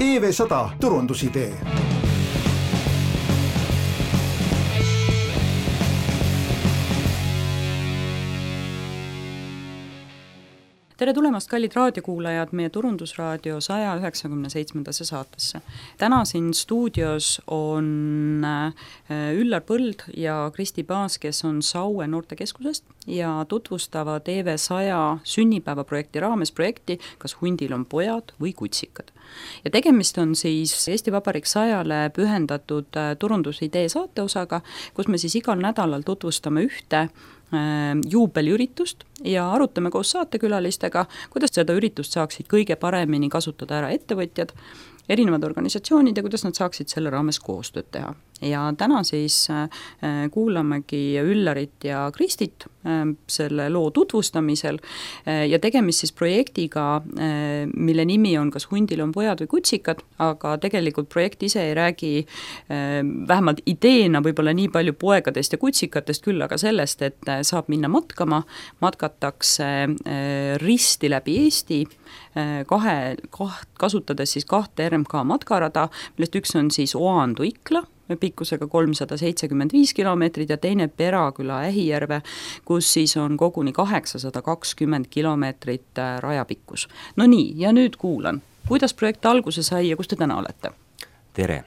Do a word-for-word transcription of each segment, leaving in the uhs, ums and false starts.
E V sada turundusidee. Tere tulemast, kallid raadiokuulajad, meie turundusraadio saja üheksakümne seitsmendasse saatesse. Täna siin stuudios on Üllar Põld ja Kristi Paas, kes on Saue noortekeskusest ja tutvustavad E V sada sünnipäevaprojekti raames projekti Kas hundil on pojad või kutsikad. Ja tegemist on siis Eesti Vabariik sajale pühendatud turundusidee saateosaga, kus me siis igal nädalal tutvustame ühte juubeliüritust ja arutame koos saatekülalistega, kuidas seda üritust saaksid kõige paremini kasutada ära ettevõtjad, erinevad organisatsioonid ja kuidas nad saaksid selle raames koostööd teha. Ja täna siis kuulamegi Üllarit ja Kristit selle loo tutvustamisel ja tegemist siis projektiga, mille nimi on Kas hundil on pojad või kutsikad, aga tegelikult projekt ise ei räägi vähemalt ideena võib-olla nii palju poegadest ja kutsikatest, küll aga sellest, et saab minna matkama, matkatakse risti läbi Eesti, kahe, kaht, kasutades siis kahte R M K matkarada, millest üks on siis Oandu-Ikla, pikkusega kolmsada seitsekümmend viis kilomeetrit ja teine Peraküla Ähijärve, kus siis on koguni kaheksasada kakskümmend kilomeetrit rajapikkus. No nii, ja nüüd kuulan, kuidas projekt alguse sai ja kus te täna olete? Tere!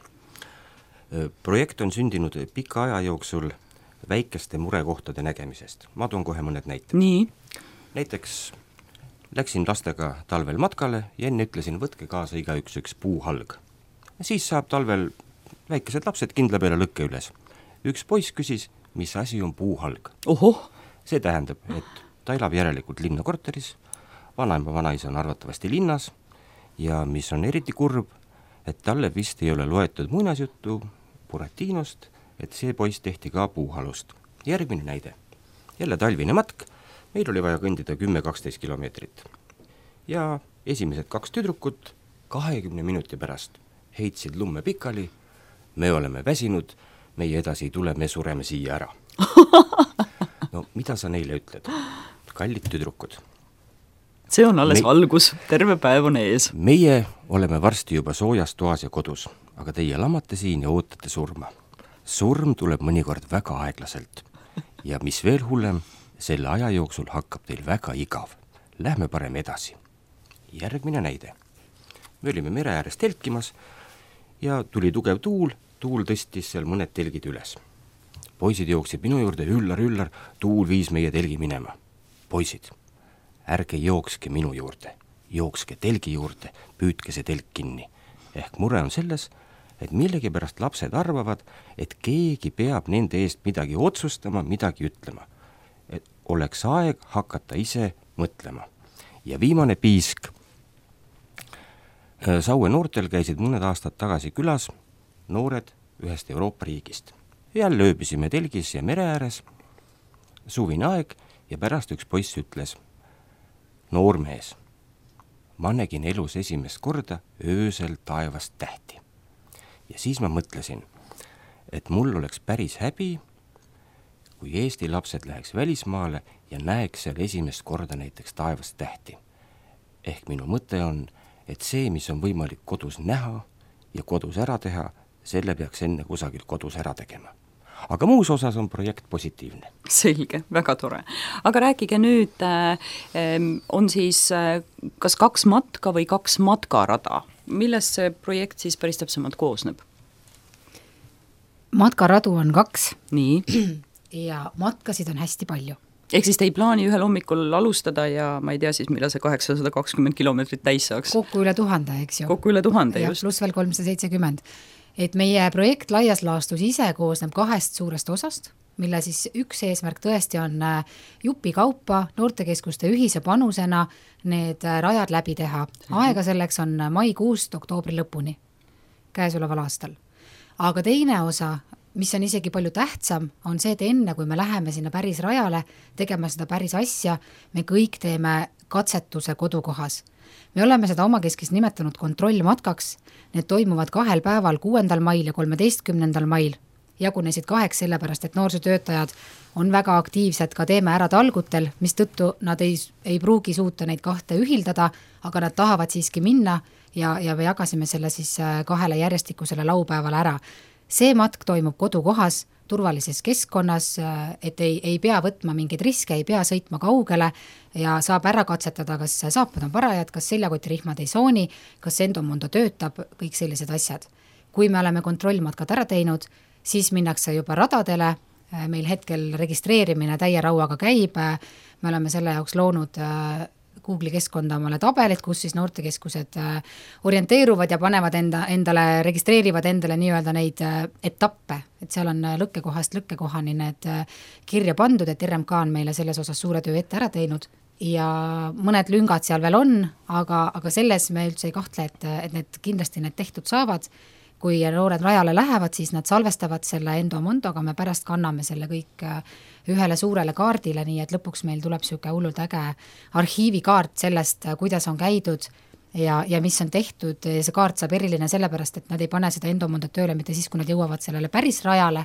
Projekt on sündinud pika aja jooksul väikeste murekohtade nägemisest. Ma toon kohe mõned näited. Nii? Näiteks läksin lastega talvel matkale ja enne ütlesin, võtke kaasa igaüks üks puuhalg. Siis saab talvel väikesed lapsed kindla peale lõkke üles. Üks poiss küsis, mis asi on puuhalg. Ohoh! See tähendab, et ta elab järelikult linnakorteris, vanaema vanaisa on arvatavasti linnas ja mis on eriti kurb, et talle vist ei ole loetud muinasjuttu Buratinost, et see poiss tehti ka puuhalust. Järgmine näide. Jälle talvine matk, meil oli vaja kõndida kümme kaksteist kilomeetrit. Ja esimesed kaks tüdrukut kahekümne minuti pärast heitsid lumme pikali, me oleme väsinud, meie edasi ei tule, me sureme siia ära. No mida sa neile ütled? Kallid tüdrukud. See on alles me... algus, terve päev on ees. Meie oleme varsti juba soojas toas ja kodus, aga teie lamate siin ja ootate surma. Surm tuleb mõnikord väga aeglaselt. Ja mis veel hullem, selle aja jooksul hakkab teil väga igav. Lähme parem edasi. Järgmine näide. Me olime mere ääres telkimas ja tuli tugev tuul, tuul tõstis seal mõned telgid üles. Poisid jooksid minu juurde, Üllar, Üllar, tuul viis meie telgi minema. Poisid, ärge jookske minu juurde, jookske telgi juurde, püüdke see telk kinni. Ehk mure on selles, et millegi pärast lapsed arvavad, et keegi peab nende eest midagi otsustama, midagi ütlema. Et oleks aeg hakata ise mõtlema. Ja viimane piisk. Saue noortel käisid mõned aastad tagasi külas noored ühest Euroopa riigist. Jälle ööbisime telgis ja mere ääres, suvine aeg ja pärast üks poiss ütles, noormees, ma nägin elus esimest korda öösel taevast tähti. Ja siis ma mõtlesin, et mul oleks päris häbi, kui Eesti lapsed läheks välismaale ja näeks seal esimest korda näiteks taevast tähti. Ehk minu mõte on, et see, mis on võimalik kodus näha ja kodus ära teha, selle peaks enne kusagil kodus ära tegema. Aga muus osas on projekt positiivne. Selge, väga tore. Aga rääkige nüüd, on siis kas kaks matka või kaks matkarada? Millest see projekt siis päris täpsemalt koosneb? Matkaradu on kaks. Nii. Ja matkasid on hästi palju. Ehk siis te ei plaani ühel hommikul alustada ja ma ei tea siis, millal see kaheksasada kakskümmend kilomeetrit täis saaks. Kokku üle tuhande, eks ju. Kokku üle tuhande, ja, just. Pluss veel kolmsada seitsekümmend. Et meie projekt laias laastus ise koosneb kahest suurest osast, mille siis üks eesmärk tõesti on jupi kaupa noortekeskuste ühise panusena need rajad läbi teha. Aega selleks on maikuust oktoobri lõpuni käesoleval aastal. Aga teine osa, mis on isegi palju tähtsam, on see, et enne kui me läheme sinna päris rajale tegema seda päris asja, me kõik teeme katsetuse kodukohas. Me oleme seda omakeskis nimetanud kontrollmatkaks, need toimuvad kahel päeval, kuuendal mail ja kolmeteistkümnendal mail. jagunesid kaheks, sellepärast et noorsootöötajad on väga aktiivsed ka Teeme ära talgutel, mis tõttu nad ei, ei pruugi suuta neid kahte ühildada, aga nad tahavad siiski minna ja, ja me jagasime selle siis kahele järjestikusele laupäevale ära. See matk toimub kodukohas, turvalises keskkonnas, et ei, ei pea võtma mingeid riske, ei pea sõitma kaugele ja saab ära katsetada, kas saapad on parajad, kas seljakotirihmad ei sooni, kas endomondo töötab, kõik sellised asjad. Kui me oleme kontrollmatkad ära teinud, siis minnakse juba radadele, meil hetkel registreerimine täie rauaga käib, me oleme selle jaoks loonud Google'i keskkonda omale tabelit, kus siis noortekeskused orienteeruvad ja panevad enda, endale, registreerivad endale nii-öelda neid etappe, et seal on lõkkekohast lõkkekohani need kirja pandud, et R M K on meile selles osas suure töö ette ära teinud ja mõned lüngad seal veel on, aga, aga selles me üldse ei kahtle, et, et need kindlasti need tehtud saavad. Kui noored rajale lähevad, siis nad salvestavad selle endomondoga, me pärast kanname selle kõik ühele suurele kaardile, nii et lõpuks meil tuleb siuke hullult äge arhiivikaart sellest, kuidas on käidud ja, ja mis on tehtud. See kaart saab eriline sellepärast, et nad ei pane seda endomondot tööle mitte siis, kui nad jõuavad sellele päris rajale,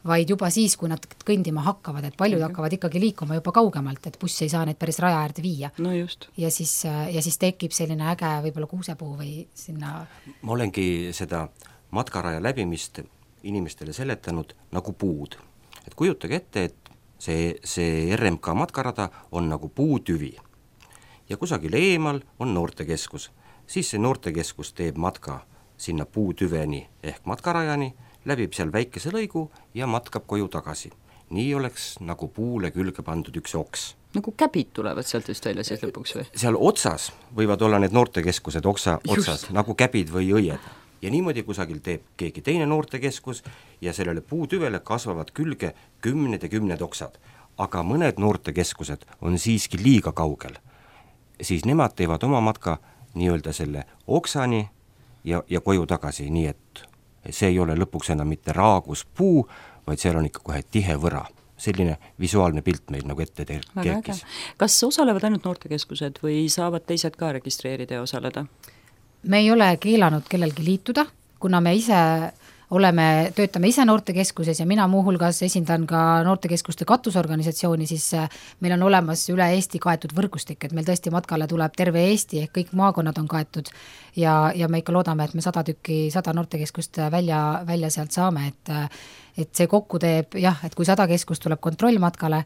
vaid juba siis, kui nad kõndima hakkavad, et paljud okay. hakkavad ikkagi liikuma juba kaugemalt, et buss ei saa neid päris raja äärde viia. No just. Ja siis, ja siis tekib selline äge võib-olla kuusepuu või sinna... Ma olengi seda matkaraja läbimist inimestele seletanud nagu puud. Et kujutage ette, et see, see R M K matkarada on nagu puutüvi ja kusagil eemal on noortekeskus. Siis see noortekeskus teeb matka sinna puutüveni ehk matkarajani, läbib seal väikese lõigu ja matkab koju tagasi. Nii oleks nagu puule külge pandud üks oks. Nagu käbid tulevad sealt vist välja siis lõpuks või? Seal otsas võivad olla need noortekeskused oksa, otsas, Just. nagu käbid või õied. Ja niimoodi kusagil teeb keegi teine noortekeskus ja sellele puutüvele kasvavad külge kümned ja kümned oksad. Aga mõned noortekeskused on siiski liiga kaugel. Siis nemad teevad oma matka nii-öelda selle oksani ja, ja koju tagasi, nii et see ei ole lõpuks enam mitte raagus puu, vaid seal on ikka kohe tihe võra. Selline visuaalne pilt meil nagu ette kerkis. Kas osalevad ainult noortekeskused või saavad teised ka registreerida ja osaleda? Me ei ole keelanud kellelgi liituda, kuna me ise oleme, töötame ise noortekeskuses ja mina muuhulgas esindan ka noortekeskuste katusorganisatsiooni, siis meil on olemas üle Eesti kaetud võrgustik, et meil tõesti matkale tuleb terve Eesti ehk kõik maakonnad on kaetud ja, ja me ikka loodame, et me sada tükki, sada noortekeskust välja, välja sealt saame, et et see kokku teeb, jah, et kui sada keskust tuleb kontrollmatkale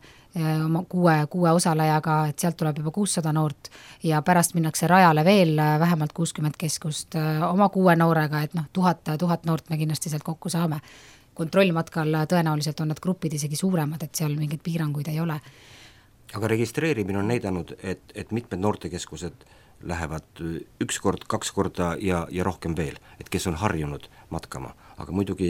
oma kuue, kuue osalejaga, et sealt tuleb juba kuussada noort ja pärast minnakse rajale veel vähemalt kuuskümmend keskust oma kuue noorega, et noh, tuhat, tuhat noort me kindlasti sealt kokku saame. Kontrollmatkal tõenäoliselt on nad grupid isegi suuremad, et seal mingeid piiranguid ei ole. Aga registreerimine on näidanud, et, et mitmed noortekeskused lähevad üks kord, kaks korda ja, ja rohkem veel, et kes on harjunud matkama, aga muidugi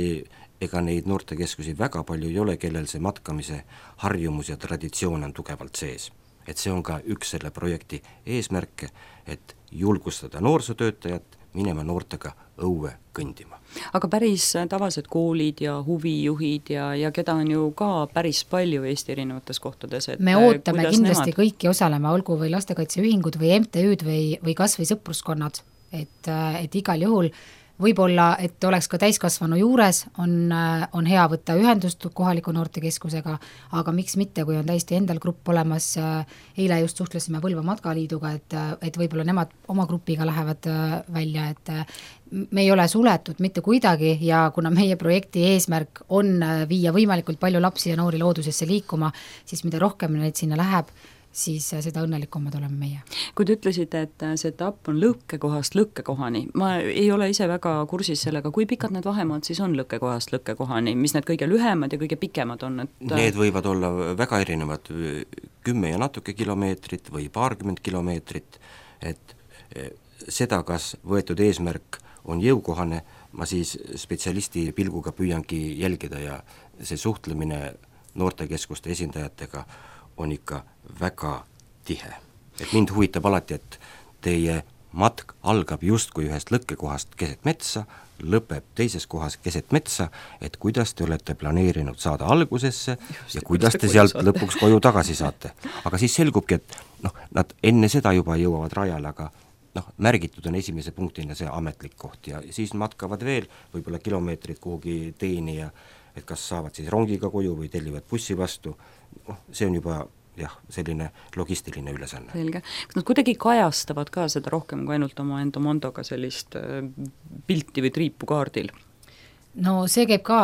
ega neid noortekeskusi väga palju ei ole, kellel see matkamise harjumus ja traditsioon on tugevalt sees. Et see on ka üks selle projekti eesmärke, et julgustada noorsootöötajat minema noortega õue kõndima. Aga päris tavalised koolid ja huvijuhid ja, ja keda on ju ka päris palju Eesti erinevates kohtades. Et me ootame kindlasti nemad... kõiki osalema, olgu või lastekaitseühingud või M T Ü'd või, või kas või sõpruskonnad, et, et igal juhul võib-olla, et oleks ka täiskasvanu juures, on, on hea võtta ühendust kohaliku noortekeskusega, aga miks mitte, kui on täiesti endal grupp olemas, eile just suhtlesime Põlva Matkaliiduga, et, et võib-olla nemad oma grupiga lähevad välja, et me ei ole suletud mitte kuidagi ja kuna meie projekti eesmärk on viia võimalikult palju lapsi ja noori loodusesse liikuma, siis mida rohkem neid sinna läheb, siis seda õnnelikumad oleme meie. Kui te ütlesite, et see etapp on lõkkekohast lõkkekohani, ma ei ole ise väga kursis sellega, kui pikad need vahemaad siis on lõkkekohast lõkkekohani, mis need kõige lühemad ja kõige pikemad on? Et... Need võivad olla väga erinevad, kümme ja natuke kilomeetrit või paarkümmend kilomeetrit, et seda, kas võetud eesmärk on jõukohane, ma siis spetsialisti pilguga püüangi jälgida ja see suhtlemine noortekeskuste esindajatega on ikka väga tihe. Et mind huvitab alati, et teie matk algab justkui ühest lõkkekohast keset metsa, lõpeb teises kohas keset metsa, et kuidas te olete planeerinud saada algusesse just, ja kuidas te sealt saate. Lõpuks koju tagasi saate. Aga siis selgubki, et noh, nad enne seda juba jõuavad rajale, aga noh, märgitud on esimese punktina see ametlik koht ja siis matkavad veel võib-olla kilomeetrid kuhugi teeni ja et kas saavad siis rongiga koju või tellivad bussi vastu, noh, see on juba jah, selline logistiline ülesanne. Selge. Kas nad kuidagi kajastavad ka seda rohkem kui ainult oma Endomondoga sellist pilti või triipu kaardil? No see käib ka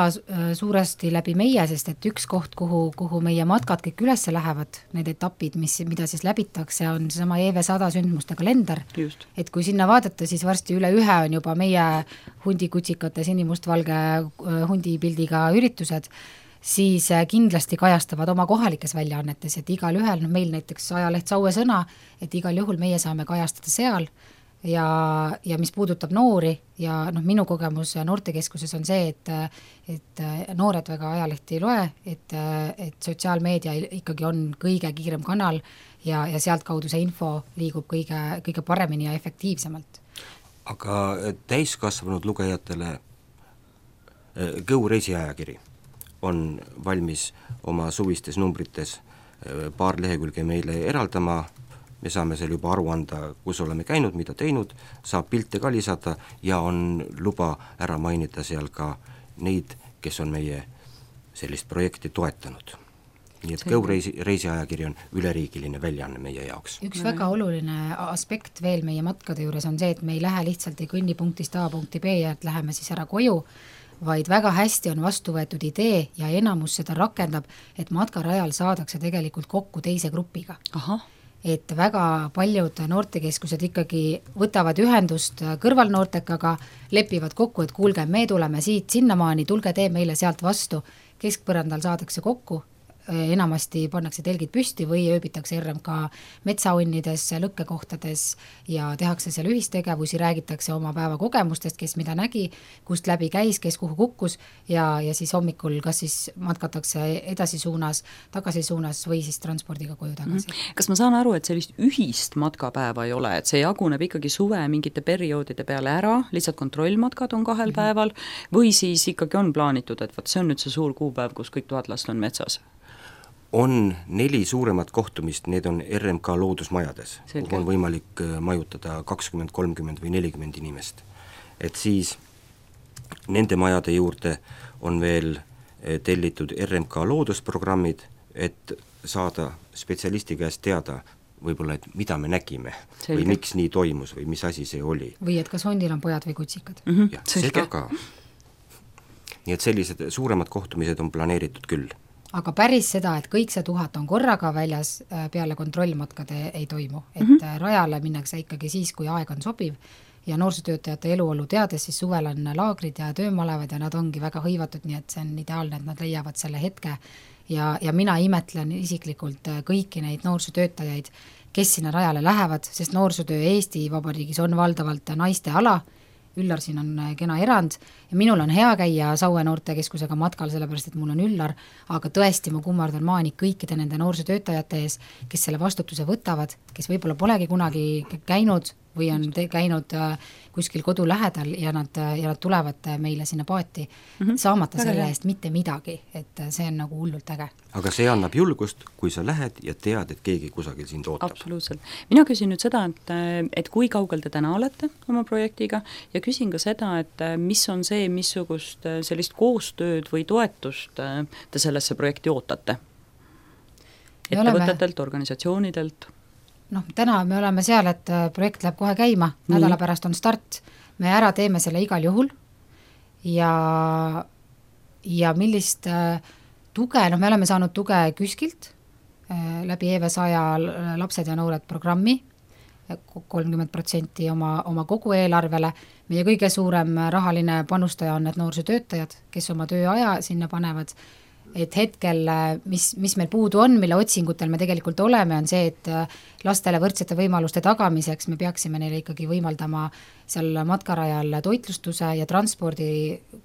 suuresti läbi meie, sest et üks koht, kuhu, kuhu meie matkad kõik ülesse lähevad, need etapid, mis, mida siis läbitakse, on seesama E V sada sündmuste kalender. Just. Et kui sinna vaadata, siis varsti üle ühe on juba meie hundikutsikate sinimustvalge hundipildiga üritused, siis kindlasti kajastavad oma kohalikes väljaannetes, et igal ühel, no meil näiteks ajaleht Saue Sõna, et igal juhul meie saame kajastada seal ja, ja mis puudutab noori ja noh, minu kogemus noortekeskuses on see, et, et noored väga ajalehti ei loe, et, et sotsiaalmeedia ikkagi on kõige kiirem kanal ja, ja sealt kaudu see info liigub kõige, kõige paremini ja efektiivsemalt. Aga täiskasvanud lugejatele Go reisiajakiri on valmis oma suvistes numbrites paar lehekülge meile eraldama, me saame seal juba aru anda, kus oleme käinud, mida teinud, saab pilte ka lisada ja on luba ära mainida seal ka neid, kes on meie sellist projekti toetanud. Nii et Go reisi, reisiajakiri on üleriigiline väljaanne meie jaoks. Üks väga oluline aspekt veel meie matkade juures on see, et me ei lähe lihtsalt ei kõnni punktist A punkti B ja et läheme siis ära koju, vaid väga hästi on vastu võetud idee ja enamus seda rakendab, et matkarajal saadakse tegelikult kokku teise grupiga. Aha. Et väga paljud noortekeskused ikkagi võtavad ühendust kõrvalnoortekaga, lepivad kokku, et kuulge, me tuleme siit sinnamaani, tulge tee meile sealt vastu, keskpõrandal saadakse kokku, enamasti pannakse telgid püsti või ööbitakse R M K metsaunnides, lõkkekohtades ja tehakse seal ühistegevusi, räägitakse oma päeva kogemustest, kes mida nägi, kust läbi käis, kes kuhu kukkus ja, ja siis hommikul kas siis matkatakse edasi suunas, tagasi suunas või siis transpordiga koju tagasi. Kas ma saan aru, et sellist ühist matkapäeva ei ole, et see jaguneb ikkagi suve mingite perioodide peale ära, lihtsalt kontrollmatkad on kahel mm-hmm. päeval või siis ikkagi on plaanitud, et võt, see on nüüd see suur kuupäev, kus kõik tuhat last on metsas? On neli suuremat kohtumist, need on R M K loodusmajades, kuhu on võimalik majutada kakskümmend, kolmkümmend või nelikümmend inimest. Et siis nende majade juurde on veel tellitud R M K loodusprogrammid, et saada spetsialisti käest teada võib-olla, et mida me nägime selge. Või miks nii toimus või mis asi see oli. Või et kas hundil on pojad või kutsikad. Mm-hmm, ja, seda ka. Nii et sellised suuremad kohtumised on planeeritud küll. Aga päris seda, et kõik see tuhat on korraga väljas, peale kontrollmatkade ei toimu. Et mm-hmm. rajale minnakse ikkagi siis, kui aeg on sobiv ja noorsootöötajate eluolu teades, siis suvel on laagrid ja töömalevad ja nad ongi väga hõivatud, nii et see on ideaalne, et nad leiavad selle hetke ja, ja mina imetlen isiklikult kõiki neid noorsootöötajaid, kes sinna rajale lähevad, sest noorsootöö Eesti Vabariigis on valdavalt naiste ala, Üllar siin on kena erand ja minul on hea käia Saue noortekeskusega matkal, sellepärast et mul on Üllar, aga tõesti ma kummardan maani kõikide nende noorsootöötajate ees, kes selle vastutuse võtavad, kes võib-olla polegi kunagi käinud või on te- käinud kuskil kodu lähedal ja nad, ja nad tulevad meile sinna paati mm-hmm. saamata selle eest mitte midagi, et see on nagu hullult äge. Aga see annab julgust, kui sa lähed ja tead, et keegi kusagil sind ootab. Absoluutselt. Mina küsin nüüd seda, et, et kui kaugel te täna olete oma projektiga ja küsin ka seda, et mis on see, missugust sellist koostööd või toetust te sellesse projekti ootate? Ettevõtetelt, organisatsioonidelt? Noh, täna me oleme seal, et projekt läheb kohe käima, mm. nädala pärast on start, me ära teeme selle igal juhul ja, ja millist tuge, noh me oleme saanud tuge KÜSKilt läbi E V sada lapsed ja noored programmi, kolmkümmend protsenti oma, oma kogu eelarvele, meie kõige suurem rahaline panustaja on need noorsootöötajad, kes oma tööaja sinna panevad, et hetkel, mis, mis meil puudu on, mille otsingutel me tegelikult oleme, on see, et lastele võrdsete võimaluste tagamiseks me peaksime neile ikkagi võimaldama seal matkarajal toitlustuse ja transpordi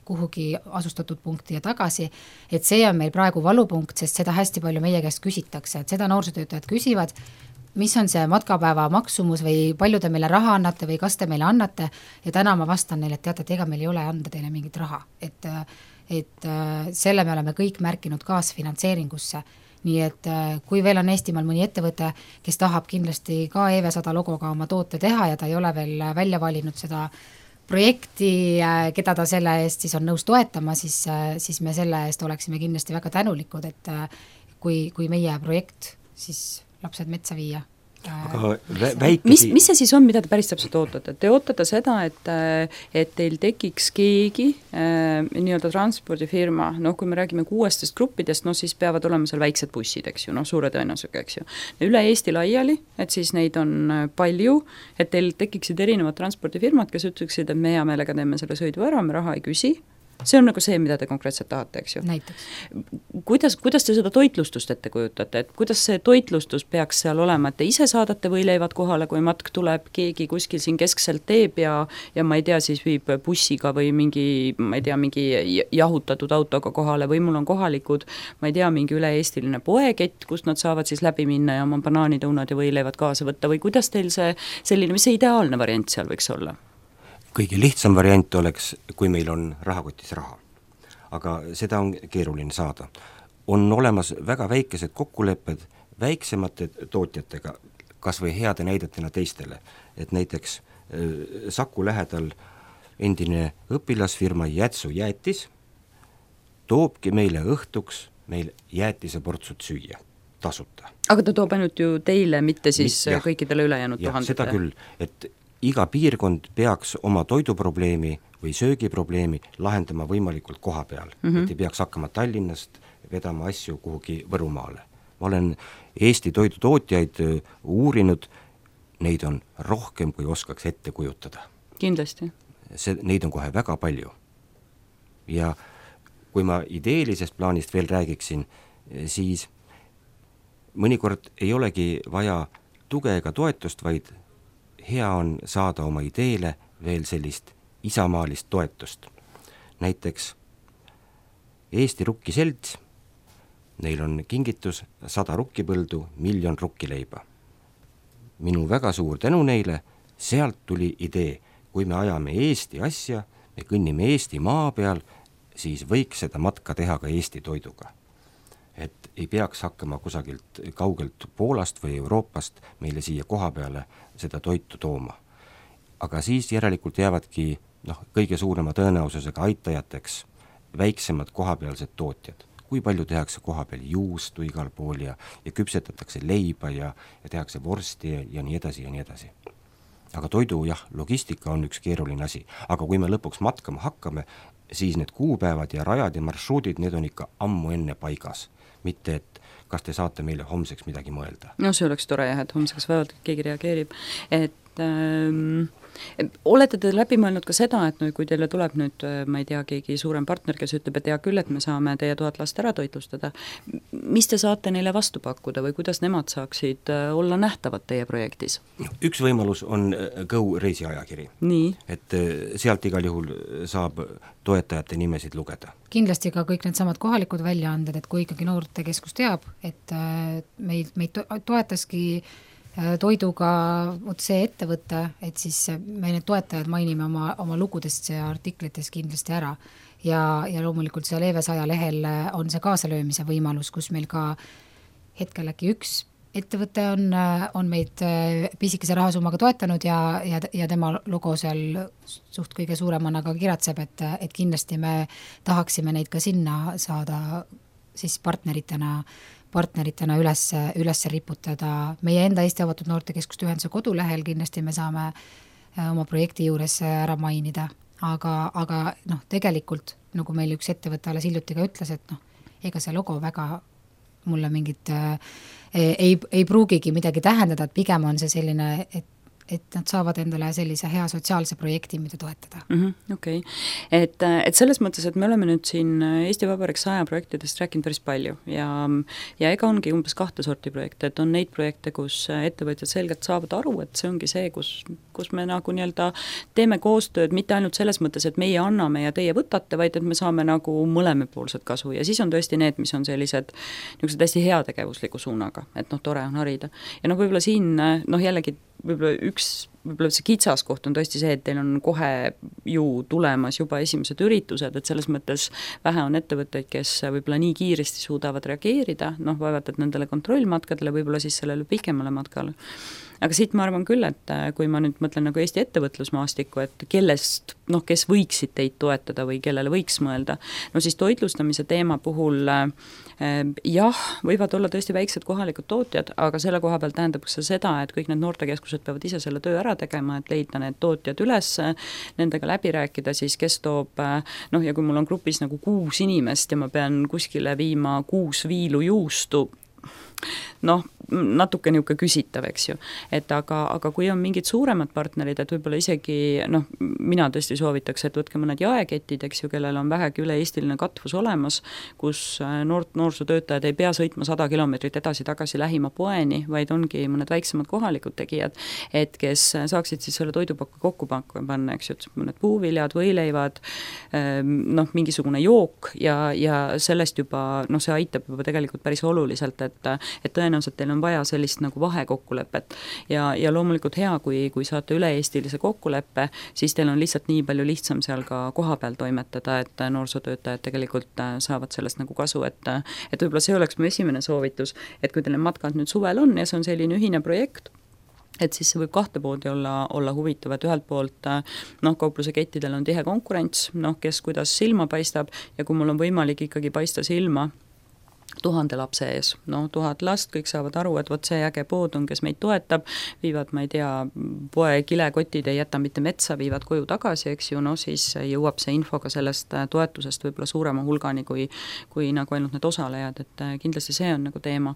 kuhugi asustatud punkti ja tagasi, et see on meil praegu valupunkt, sest seda hästi palju meie käest küsitakse, et seda noorsootöötajad küsivad, mis on see matkapäeva maksumus või palju te meile raha annate või kas te meile annate ja täna ma vastan neile, et teate, et ega meil ei ole anda teile mingit raha, et et selle me oleme kõik märkinud kaasfinantseeringusse, nii et kui veel on Eestimaal mõni ettevõte, kes tahab kindlasti ka E V sada logoga oma toote teha ja ta ei ole veel välja valinud seda projekti, keda ta selle eest siis on nõus toetama, siis, siis me selle eest oleksime kindlasti väga tänulikud, et kui, kui meie projekt siis lapsed metsa viia. Aga väike... mis, mis see siis on, mida te päris täpselt ootate? Te ootate seda, et, et teil tekiks keegi äh, nii-öelda transpordifirma, noh kui me räägime kuuestest gruppidest, no siis peavad olema seal väiksed bussid, eks ju, noh suure tõenäosusega, eks ju. Üle Eesti laiali, et siis neid on palju, et teil tekiksid erinevad transpordifirmad, kes ütleksid, et me hea meelega teeme selle sõidu ära, me raha ei küsi. See on nagu see, mida te konkreetselt tahate, eks ju. Näiteks. Kuidas, kuidas te seda toitlustust ette kujutate, et kuidas see toitlustus peaks seal olema, et te ise saadate võileivad kohale, kui matk tuleb, keegi kuskil siin keskselt teeb ja, ja ma ei tea, siis viib bussiga või mingi, ma ei tea, mingi jahutatud autoga kohale või mul on kohalikud, ma ei tea, mingi üle-eestiline poekett, kust nad saavad siis läbi minna ja oma banaanitõunad ja võileivad kaasa võtta või kuidas teil see selline, mis see ideaalne variant seal võiks olla? Kõige lihtsam variant oleks, kui meil on rahakotis raha. Aga seda on keeruline saada. On olemas väga väikesed kokkulepped väiksemate tootjatega, kas või heade näidetena teistele. Et näiteks Saku lähedal endine õpilasfirma Jätsu jäätis toobki meile õhtuks meil jäätise portsut süüa tasuta. Aga ta toob ainult ju teile, mitte siis Mit, kõikidele ülejäänud tuhandetele? Seda küll, et iga piirkond peaks oma toiduprobleemi või söögiprobleemi lahendama võimalikult koha peal, mm -hmm. et ei peaks hakkama Tallinnast vedama asju kuhugi Võrumaale. Ma olen Eesti toidutootjaid uurinud, neid on rohkem, kui oskaks ette kujutada. Kindlasti. See, neid on kohe väga palju. Ja kui ma ideelisest plaanist veel räägiksin, siis mõnikord ei olegi vaja tuge ega toetust, vaid hea on saada oma ideele veel sellist isamaalist toetust. Näiteks Eesti Rukkiselts, neil on kingitus sada rukkipõldu, miljon rukkileiba. Minu väga suur tänu neile, sealt tuli idee, kui me ajame Eesti asja, me kõnnime Eesti maa peal, siis võiks seda matka teha ka Eesti toiduga. Et ei peaks hakkama kusagilt kaugelt Poolast või Euroopast meile siia koha peale seda toitu tooma. Aga siis järelikult jäävadki noh, kõige suurema tõenäosusega aitajateks väiksemad kohapealsed tootjad. Kui palju tehakse koha peal juustu igal pool ja, ja küpsetatakse leiba ja, ja tehakse vorsti ja, ja nii edasi ja nii edasi. Aga toidu, jah, logistika on üks keeruline asi. Aga kui me lõpuks matkama hakkame, siis need kuupäevad ja rajad ja marsruudid, need on ikka ammu enne paigas. Mitte, et kas te saate meile homseks midagi mõelda. No see oleks tore jah, et homseks väevalt keegi reageerib. Et ähm, olete te läbi mõelnud ka seda, et no, kui teile tuleb nüüd, ma ei tea, keegi suurem partner, kes ütleb, et hea küll, et me saame teie tuhat last ära toitlustada, mis te saate neile vastu pakkuda või kuidas nemad saaksid olla nähtavad teie projektis? Üks võimalus on Go reisiajakiri. Nii. Et sealt igal juhul saab toetajate nimesid lugeda. Kindlasti ka kõik need samad kohalikud väljaanded, et kui ikkagi noortekeskus teab, et meid, meid toetaski toiduga vot see ettevõte, et siis me need toetajad mainime oma, oma lugudest ja artiklitest kindlasti ära. Ja, ja loomulikult seal Eevesaja lehel on see kaasalöömise võimalus, kus meil ka hetkel äkki üks ettevõte on, on meid pisikese rahasummaga toetanud ja, ja, ja tema logo seal suht kõige suuremana ka kiratseb, et, et kindlasti me tahaksime neid ka sinna saada siis partneritena partneritena üles, üles riputada. Meie enda Eesti Avatud Noortekeskuste Ühenduse kodulehel kindlasti me saame oma projekti juures ära mainida, aga, aga noh, tegelikult nagu meil üks ettevõte alles hiljuti ka ütles, et noh, ega see logo väga mulle mingit äh, ei, ei pruugigi midagi tähendada, et pigem on see selline, et et nad saavad endale sellise hea sotsiaalse projekti, mida toetada. Mm-hmm, okei. Okay. Et, et selles mõttes, et me oleme nüüd siin Eesti Vabariik saja projektidest rääkinud päris palju ja, ja ega ongi umbes kahte sorti projekte, et on neid projekte, kus ettevõtjad selgelt saavad aru, et see ongi see, kus, kus me nagu nii-öelda teeme koostööd mitte ainult selles mõttes, et meie anname ja teie võtate, vaid et me saame nagu mõlemapoolset kasu ja siis on tõesti need, mis on sellised niisugused hästi heategevusliku suunaga, et noh, tore on harida. Ja noh, võib-olla siin, noh jällegi võib-olla üks, võib-olla see kitsaskoht on tõesti see, et teil on kohe ju tulemas juba esimesed üritused, et selles mõttes vähe on ettevõtteid, kes võib-olla nii kiiresti suudavad reageerida, noh vaevalt, et nendele kontrollmatkadele, võib-olla siis sellele pikemale matkale. aga siit ma arvan küll, et kui ma nüüd mõtlen nagu Eesti ettevõtlusmaastikku, et kellest, noh, kes võiksid teid toetada või kellele võiks mõelda, no siis toitlustamise teema puhul jah, võivad olla tõesti väiksed kohalikud tootjad, aga selle koha peal tähendab see seda, et kõik need noortekeskused peavad ise selle töö ära tegema, et leida need tootjad üles, nendega läbi rääkida siis, kes toob, noh, ja kui mul on grupis nagu kuus inimest ja ma pean kuskile viima kuus viilu juustu, noh, natuke niisugune küsitav, eks ju. Et aga, aga kui on mingid suuremad partnerid, et võib-olla isegi, noh, mina tõesti soovitaks, et võtke mõned jaeketid, eks ju, kellel on vähegi üle-eestiline katvus olemas, kus noort, noorsootöötajad ei pea sõitma sada kilomeetrit edasi-tagasi lähima poeni, vaid ongi mõned väiksemad kohalikud tegijad, et kes saaksid siis selle toidupakku kokku panna, eks ju, mõned puuviljad, võileivad, noh, mingisugune jook ja, ja sellest juba, noh, see aitab juba tegelikult päris oluliselt, et, et tõenäoliselt teil on vaja sellist nagu vahekokkulepet ja, ja loomulikult hea, kui, kui saate üle-eestilise kokkuleppe, siis teil on lihtsalt nii palju lihtsam seal ka koha peal toimetada, et noorsootöötajad tegelikult saavad sellest nagu kasu, et, et võib-olla see oleks mu esimene soovitus, et kui teil matkad nüüd suvel on ja see on selline ühine projekt, et siis see võib kahte poodi olla, olla huvitav, et ühelt poolt noh, kaupluse kettidel on tihe konkurents, noh, kes kuidas silma paistab ja kui mul on võimalik ikkagi paista silma tuhande lapse ees, no tuhat last, kõik saavad aru, et vot see äge pood on, kes meid toetab, viivad, ma ei tea, poe kilekotid ei jäta mitte metsa, viivad koju tagasi, eks ju, no siis jõuab see info ka sellest toetusest võib-olla suurema hulgani kui, kui nagu ainult need osalejad, et kindlasti see on nagu teema.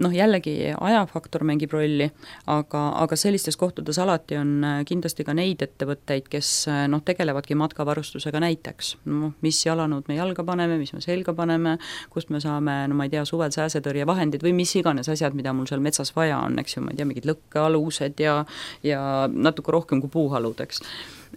Noh, jällegi ajafaktor mängib rolli, aga, aga sellistes kohtades alati on kindlasti ka neid ettevõtteid, kes noh, tegelevadki matkavarustusega näiteks, no, mis jalanõud me jalga paneme, mis me selga paneme, kust me saame no ma ei tea, suvel sääsetõrjevahendid või mis iganes asjad, mida mul seal metsas vaja on, eks ju, ma ei tea, mingid lõkkealused ja, ja natuke rohkem kui puuhalud, eks.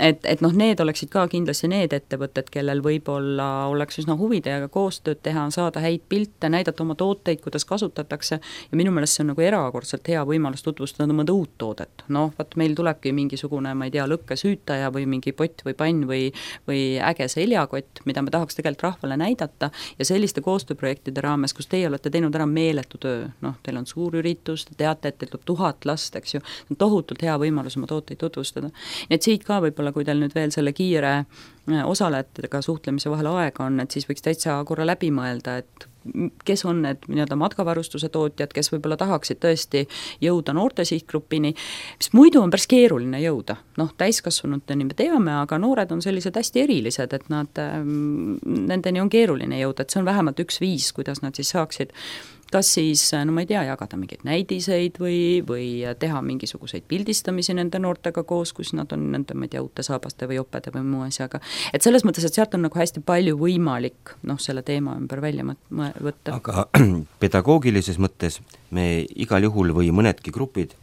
Et, et noh, need oleksid ka kindlasti need ettevõtted, kellel võib-olla oleks üsna huvi teiega koostööd teha, saada häid pilte, näidata oma tooteid, kuidas kasutatakse ja minu meelest see on nagu erakordselt hea võimalus tutvustada mõnda uut toodet. Noh, vaat meil tulebki mingisugune, ma ei tea, lõkkesüütaja või mingi pott või pann või, või äge seljakott, mida me tahaks tegelikult rahvale näidata ja selliste koostööprojektide raames, kus teie olete teinud ära meeletu töö, noh, teil on suur üritus, te teate, et teil tuleb tuhat last, eks ju, on tohutult hea võimalus oma tooteid tutvustada. Nii et siit ka võib-olla kui teil nüüd veel selle kiire osalejatega suhtlemise vahel aega on, et siis võiks täitsa korra läbi mõelda, et kes on need nii-öelda matkavarustuse tootjad, kes võib-olla tahaksid tõesti jõuda noorte sihtgrupini, mis muidu on päris keeruline jõuda. Noh, täiskasvanuteni me teame, aga noored on sellised hästi erilised, et nad, nendeni on keeruline jõuda, et see on vähemalt üks viis, kuidas nad siis saaksid kas siis, no ma ei tea, jagada mingeid näidiseid või, või teha mingisuguseid pildistamisi nende noortega koos, kus nad on nende, ma ei tea, uute saabaste või opede või muu asjaga. Et selles mõttes, et sealt on nagu hästi palju võimalik noh, selle teema ümber välja võtta. Aga pedagoogilises mõttes me igal juhul või mõnedki grupid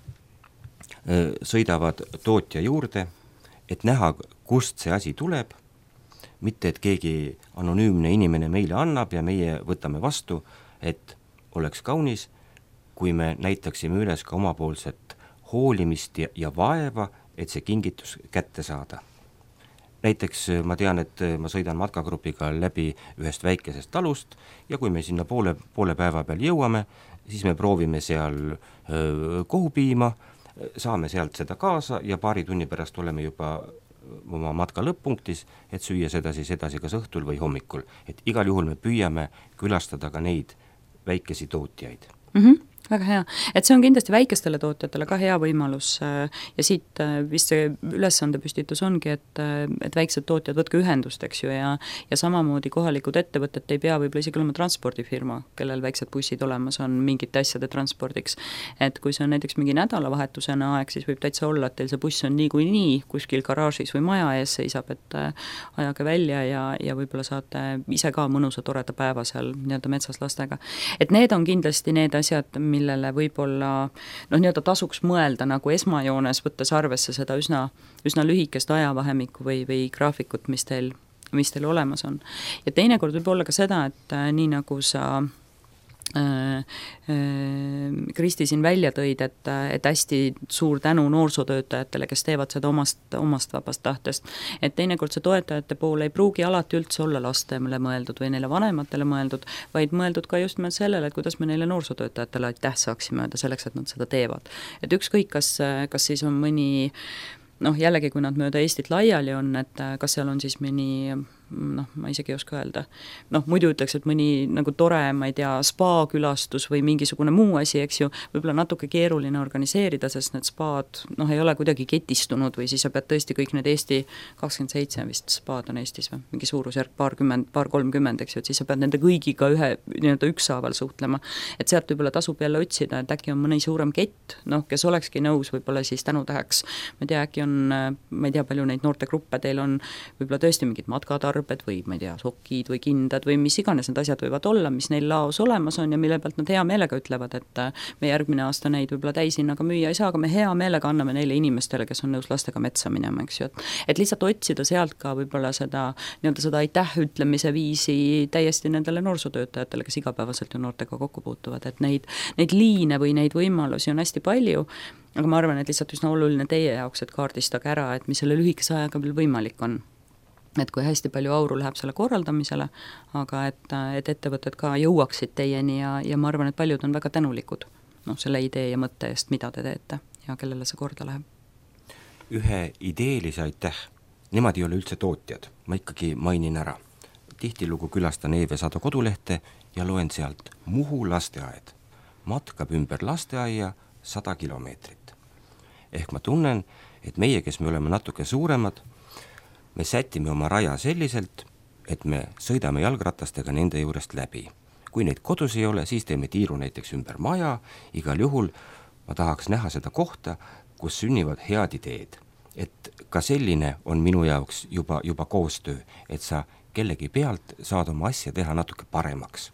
sõidavad tootja juurde, et näha, kust see asi tuleb, mitte et keegi anonüümne inimene meile annab ja meie võtame vastu, et oleks kaunis, kui me näitaksime üles ka omapoolset hoolimist ja, ja vaeva, et see kingitus kätte saada. Näiteks ma tean, et ma sõidan matkagrupiga läbi ühest väikesest talust ja kui me sinna poole, poole päeva peal jõuame, siis me proovime seal öö, kohupiima, saame sealt seda kaasa ja paari tunni pärast oleme juba oma matka lõpp-punktis, et süüa seda siis edasi kas õhtul või hommikul. Et igal juhul me püüame külastada ka neid väikesi tootjaid. Mm-hmm. Väga hea, et see on kindlasti väikestele tootjatele ka hea võimalus ja siit vist see ülesande püstitus ongi, et, et väiksed tootjad võtke ühendust, eks ju, ja, ja samamoodi kohalikud ettevõtted ei pea võib-olla isegi olema transpordifirma, kellel väiksed bussid olemas on mingite asjade transpordiks. Et kui see on näiteks mingi nädalavahetusena aeg, siis võib täitsa olla, et teil see buss on nii kui nii kuskil garaažis või maja ees seisab, et ajage välja ja, ja võib-olla saate ise ka mõnusa toreda päeva seal nii-öelda metsas lastega. Et need on kindlasti need asjad, millele võib-olla noh, nii-öelda tasuks mõelda nagu esmajoones, võttes arvesse seda üsna, üsna lühikest ajavahemikku või, või graafikut, mis teil, mis teil olemas on. Ja teinekord võib olla ka seda, et nii nagu sa Kristi siin välja tõid, et, et hästi suur tänu noorsootöötajatele, kes teevad seda omast, omast vabast tahtest. Et teinekord see toetajate pool ei pruugi alati üldse olla lastele mõeldud või neile vanematele mõeldud, vaid mõeldud ka just sellele, et kuidas me neile noorsootöötajatele aitäh saaksime öelda selleks, et nad seda teevad. Et ükskõik, kas, kas siis on mõni noh, jällegi, kui nad mööda Eestit laiali on, et kas seal on siis mõni noh, ma isegi ei oska öelda, noh, muidu ütleks, et mõni nagu tore, ma ei tea, spa-külastus või mingisugune muu asi, eks ju, võib-olla natuke keeruline organiseerida, sest need spaad, noh, ei ole kuidagi ketistunud või siis sa pead tõesti kõik need Eesti kakskümmend seitse vist spaad on Eestis või mingi suurusjärk paarkümmend, paar kolmkümmend, eks ju, et siis sa pead nende kõigiga ühe nii-öelda ükshaaval suhtlema, et sealt võib-olla tasub jälle otsida, et äkki on mõni suurem kett, noh, kes olekski nõus võib-olla siis tänutäheks, ma ei tea, äkki on, ma ei tea, palju neid noortegruppe teil on, võib-olla tõesti mingid matkatarbed või ma ei tea, sokid või kindad või mis iganes need asjad võivad olla, mis neil laos olemas on ja mille pealt nad hea meelega ütlevad, et me järgmine aasta neid võib-olla täishinnaga müüa ei saa, aga me hea meelega anname neile inimestele, kes on nõus lastega metsa minema, eks ju, et, et lihtsalt otsida sealt ka võib-olla seda nii-öelda seda aitäh ütlemise viisi täiesti nendele noorsootöötajatele, kes igapäevaselt ju noortega kokku puutuvad, et neid, neid liine või neid võimalusi on hästi palju, aga ma arvan, et lihtsalt üsna oluline teie jaoks, et kaardistage ära, et mis selle lühikese ajaga veel võimalik on. Et kui hästi palju auru läheb selle korraldamisele, aga et, et ettevõtted ka jõuaksid teieni ja, ja ma arvan, et paljud on väga tänulikud noh, selle idee ja mõtte eest, mida te teete ja kellele see korda läheb. Ühe ideelise aitäh, nemad ei ole üldse tootjad, ma ikkagi mainin ära. Tihtilugu külastan Eeve Sado kodulehte ja loen sealt Muhu lasteaed. Matkab ümber lasteaia sada kilomeetrit. Ehk ma tunnen, et meie, kes me oleme natuke suuremad, me sätime oma raja selliselt, et me sõidame jalgratastega nende juurest läbi. Kui neid kodus ei ole, siis teeme tiiru näiteks ümber maja, igal juhul ma tahaks näha seda kohta, kus sünnivad head ideed. Et ka selline on minu jaoks juba, juba koostöö, et sa kellegi pealt saad oma asja teha natuke paremaks.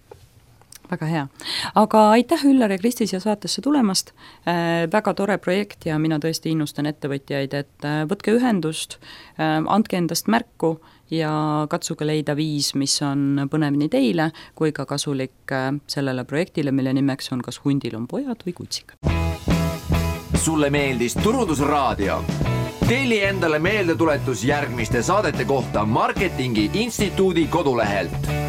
Väga hea. Aga aitäh Üllar ja Kristi siia saatesse tulemast. Äh, väga tore projekt ja mina tõesti innustan ettevõtjaid, et äh, võtke ühendust, äh, andke endast märku ja katsuge leida viis, mis on põnev nii teile kui ka kasulik äh, sellele projektile, mille nimeks on kas hundil on pojad või kutsik. Sulle meeldis Turundusraadio? Telli endale meeldetuletus järgmiste saadete kohta Marketingi Instituudi kodulehelt.